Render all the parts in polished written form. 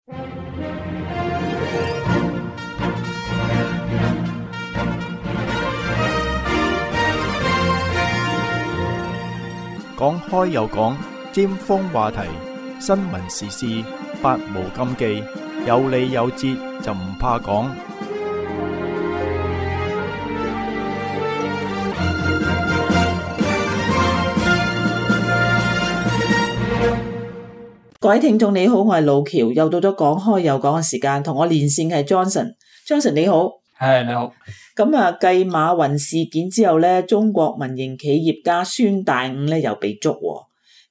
講開又講，尖鋒話題，新聞時事，百無禁忌，有理有節就唔怕講。各位聽眾你好，我係路橋，又到咗講開又講嘅時間，同我連線嘅係 Johnson 你好。係你好。咁啊，繼馬雲事件之後咧，中國民營企業家孫大午咧又被捉喎。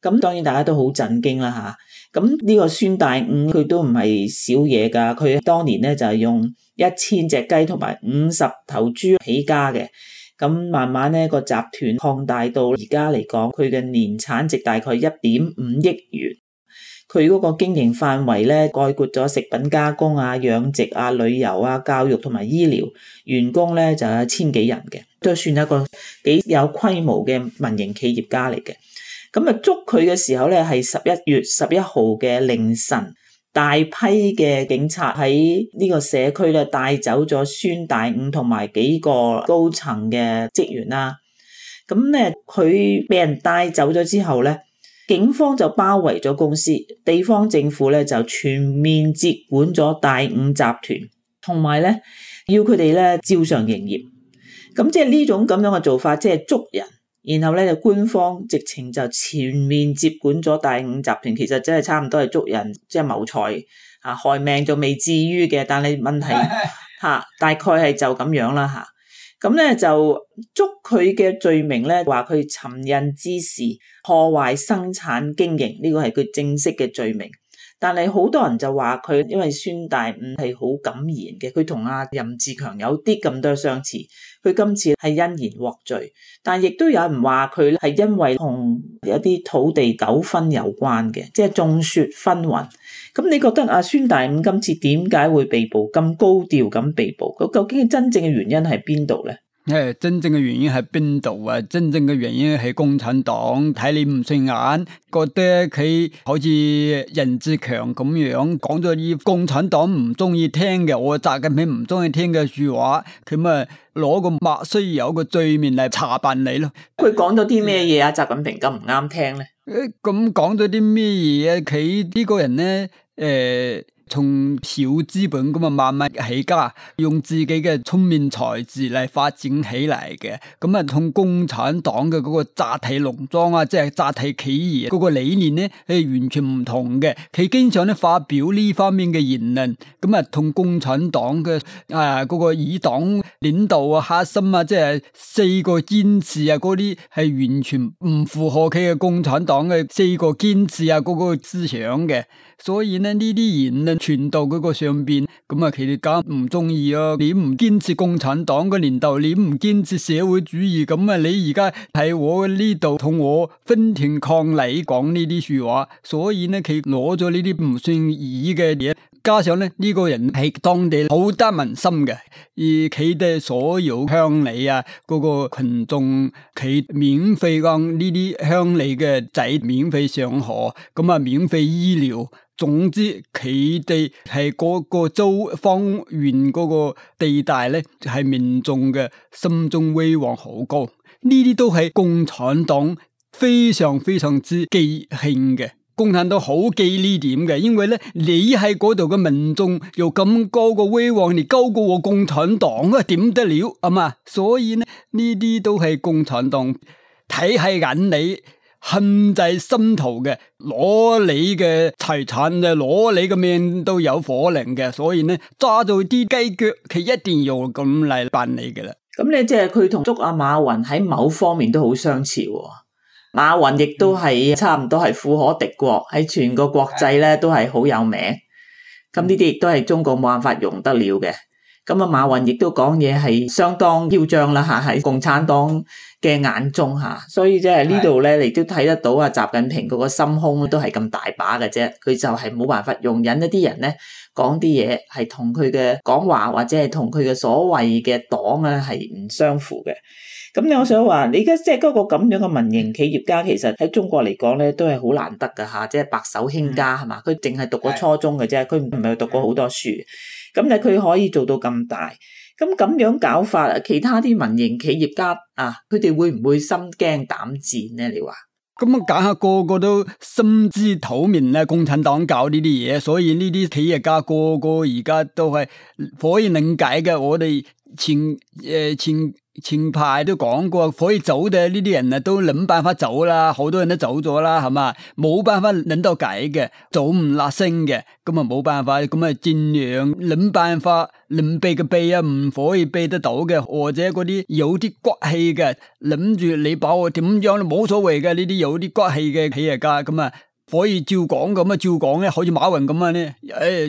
咁當然大家都好震驚啦吓。咁呢個孫大午佢都唔係少嘢噶，佢當年咧就係用1000隻雞同埋50頭豬起家嘅。咁慢慢咧個集團擴大到而家嚟講，佢嘅年產值大概1.5億元。佢嗰個經營範圍咧，概括咗食品加工啊、養殖啊、旅遊啊、教育同埋醫療，員工咧就有1000幾人嘅，都算一個幾有規模嘅民營企業家嚟嘅。咁啊，捉佢嘅時候咧係11月11號嘅凌晨，大批嘅警察喺呢個社區咧帶走咗孫大午同埋幾個高層嘅職員啦。咁咧佢俾人帶走咗之後咧，警方就包圍咗公司，地方政府咧就全面接管咗大午集團，同埋咧要佢哋咧照常營業。咁即係呢種咁樣嘅做法，即係捉人，然後咧就官方直情就全面接管咗大午集團。其實真係差唔多係捉人，即係謀財啊，害命就未至於嘅，但係問題吓大概係就咁樣啦吓。咁咧就捉佢嘅罪名咧，話佢尋釁滋事、破壞生產經營，呢個係佢正式嘅罪名。但係好多人就話佢，因為孫大午係好敢言嘅，佢同阿任志強有啲咁多相似，佢今次係欣然獲罪。但亦都有人話佢係因為同一啲土地糾紛有關嘅，即係眾說紛紜。咁你覺得阿孫大午今次點解會被捕，咁高調咁被捕？佢究竟真正嘅原因係邊度咧？真正嘅原因喺邊度啊？真正嘅原因係共產黨睇你唔順眼，覺得佢好似任志強咁樣講咗啲共產黨唔中意聽嘅，我習近平唔中意聽嘅說話，佢咪攞個莫須有個罪名嚟查辦你咯。佢講咗啲咩嘢啊？習近平咁唔啱聽咧？咁講咗啲咩嘢啊？佢呢個人咧，從小資本咁啊慢慢起家，用自己嘅聰明才智嚟發展起嚟嘅，咁啊同共產黨嘅嗰個集體農莊啊，即係集體企業嗰個理念咧係完全唔同嘅。佢經常咧發表呢方面嘅言論，咁啊同共產黨嘅嗰個以黨領導啊、核心啊，即係4個堅持啊嗰啲係完全唔符合佢嘅共產黨嘅4個堅持啊嗰個思想嘅。所以呢啲言論傳到嗰個上邊，咁啊佢哋梗唔中意啊！你唔堅持共產黨嘅領導，你唔堅持社會主義，咁啊你而家喺我呢度同我分庭抗禮講呢啲說話，所以呢佢攞咗呢啲唔順意嘅嘢，加上咧呢個人係當地好得民心嘅，而佢哋所有鄉里啊嗰個群眾，佢免費讓呢啲鄉里嘅仔免費上學，咁啊免費醫療。總之佢哋係嗰個周方圓嗰個地帶咧，係民眾嘅心中威望好高。呢啲都係共產黨非常非常之記慶嘅。共產黨好記呢點嘅，因為咧你喺嗰度嘅民眾有咁高嘅威望，你高過我共產黨啊，點得了啊嘛？所以呢啲都係共產黨睇喺眼裏，恨在心頭嘅，攞你嘅財產啊，攞你嘅命都有火靈嘅，所以呢揸到啲雞腳，佢一定要咁嚟辦你嘅啦。咁咧，即係佢同捉阿馬雲喺某方面都好相似喎。馬雲亦都係差唔多係富可敵國，喺全個國際咧都係好有名。咁呢啲亦都係中國冇辦法容得了嘅。咁啊，馬雲亦都講嘢係相當囂張啦吓，喺共產黨嘅眼中吓，所以即係呢度咧，你都睇得到啊，習近平嗰個心胸都係咁大把嘅啫，佢就係冇辦法容忍一啲人咧講啲嘢係同佢嘅講話或者係同佢嘅所謂嘅黨咧係唔相符嘅。咁我想話，你而家即係嗰個咁樣嘅民營企業家，其實喺中國嚟講咧，都係好難得噶吓，即係白手興家係嘛？佢淨係讀過初中嘅啫，佢唔係讀過好多書。咁但係佢可以做到咁大，咁樣搞法，其他啲民營企業家啊，佢哋會唔會心驚膽戰咧？你話？咁啊，梗係個個都心知肚明啦，共產黨搞呢啲嘢，所以呢啲企業家個個而家都係可以理解嘅。我哋前排都講過，可以走嘅呢啲人啊，都諗辦法走啦，好多人都走咗啦，係嘛？冇辦法諗到計嘅，走唔甩聲嘅，咁啊冇辦法，咁啊盡量諗辦法，能避嘅避啊，唔可以避得到嘅，或者嗰啲有啲骨氣嘅，諗住你把我點樣都冇所謂嘅，呢啲有啲骨氣嘅企業家，咁啊可以照講咁啊，照講咧，好似馬雲咁啊咧，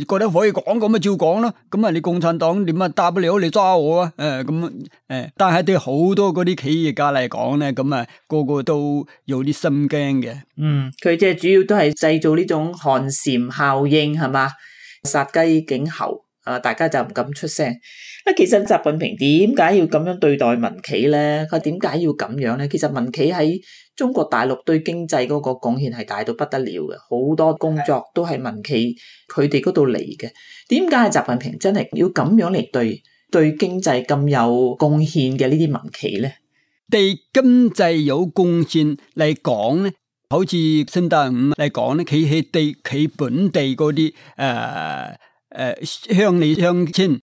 覺得可以講咁啊，照講咯。咁啊，你共產黨點啊，大不了你抓我啊，但係對好多嗰啲企業家嚟講咧，咁啊個個都有啲心驚嘅。佢即係主要都係製造呢種寒蟬效應係嘛，殺雞儆猴啊，大家就唔敢出聲。其實習近平點解要咁樣對待民企咧？佢點解要咁樣咧？其實民企喺中國大陸對經濟嗰個貢獻係大到不得了嘅，好多工作都係民企佢哋嗰度嚟嘅。點解習近平真係要咁樣嚟對經濟咁有貢獻嘅呢啲民企咧？對經濟有貢獻嚟講咧，好似新大五嚟講咧，佢係對佢本地嗰啲鄉里鄉親。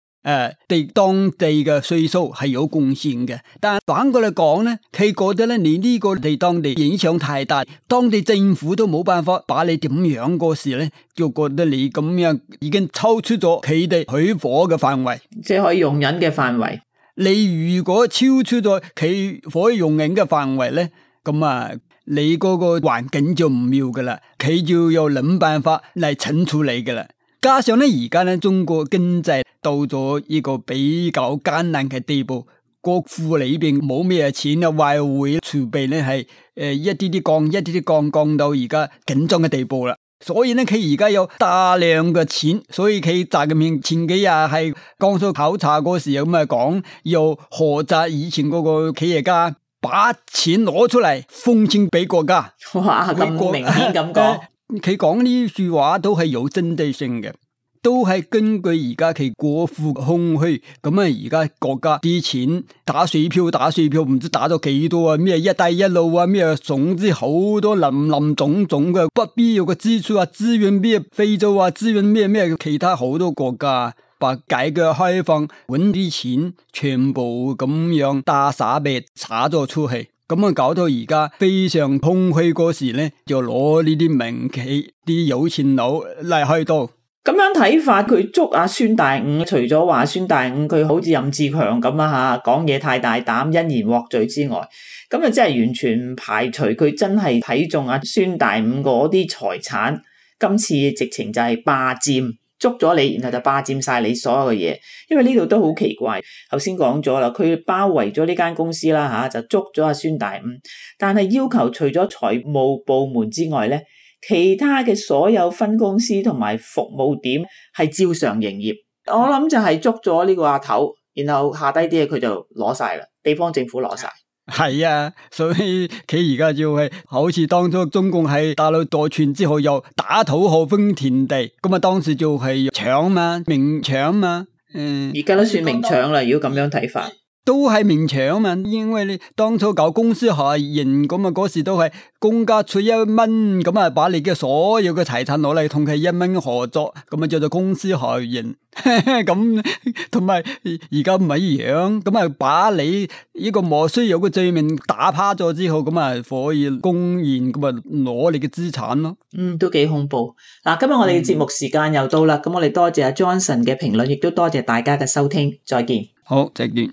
對當地嘅稅收係有貢獻嘅，但係反過嚟講咧，佢覺得咧你呢個對當地影響太大，當地政府都冇辦法把你點樣嗰時咧，就覺得你咁樣已經超出咗佢哋許可嘅範圍，即係可以容忍嘅範圍。你如果超出咗佢可以容忍嘅範圍咧，咁啊，你嗰個環境就唔妙噶啦，佢就要諗辦法嚟懲處你噶啦。加上咧，而家咧中國經濟到咗一個比較艱難嘅地步，國庫裏邊冇咩錢啊，外匯儲備咧係一啲啲降到而家緊張嘅地步啦。所以咧，佢而家有大量嘅錢，所以佢習近平前幾日係江蘇考察嗰時咁啊講，要學習以前嗰個企業家，把錢攞出嚟奉獻俾國家。哇，咁明顯咁講。佢講呢句話都係有針對性嘅，都係根據而家佢國庫空虛，咁啊而家國家啲錢打水漂，唔知打咗幾多啊？咩一帶一路啊，咩總之好多林總嘅不必要嘅支出啊，支援咩非洲啊，支援咩其他好多國家，把改革開放搵啲錢全部咁樣大灑幣灑咗出去。咁啊，搞到而家非常空虛嗰時咧，就攞呢啲民企啲有錢佬嚟開刀。咁樣睇法，佢捉阿孫大午，除咗話孫大午佢好似任志強咁啊吓，講嘢太大膽，因言獲罪之外，咁啊真係完全唔排除佢真係睇中阿孫大午嗰啲財產，今次直情就係霸佔。捉咗你，然後就霸佔晒你所有嘅嘢，因為呢度都好奇怪。頭先講咗啦，佢包圍咗呢間公司啦吓，就捉咗阿孫大午，但係要求除咗財務部門之外咧，其他嘅所有分公司同埋服務點係照常營業。我諗就係捉咗呢個阿頭，然後下低啲嘢佢就攞晒啦，地方政府攞晒。係啊，所以佢而家就係好似當初中共喺大陸奪權之後又打土豪分田地，咁啊當時就係搶嘛，明搶嘛，而家都算明搶啦，如果咁樣睇法。都係明搶嘛，因為你當初搞公司合營咁啊，嗰時都係公家出1蚊，咁啊把你嘅所有嘅財產攞嚟同佢1蚊合作，咁啊叫做公司合營。咁同埋而家唔係一樣，咁啊把你呢個莫須有嘅罪名打趴咗之後，咁啊可以公然咁啊攞你嘅資產咯。都幾恐怖。嗱，今日我哋嘅節目時間又到啦，咁我哋多謝阿 Johnson 嘅評論，亦都多謝大家嘅收聽，再見。好，再見。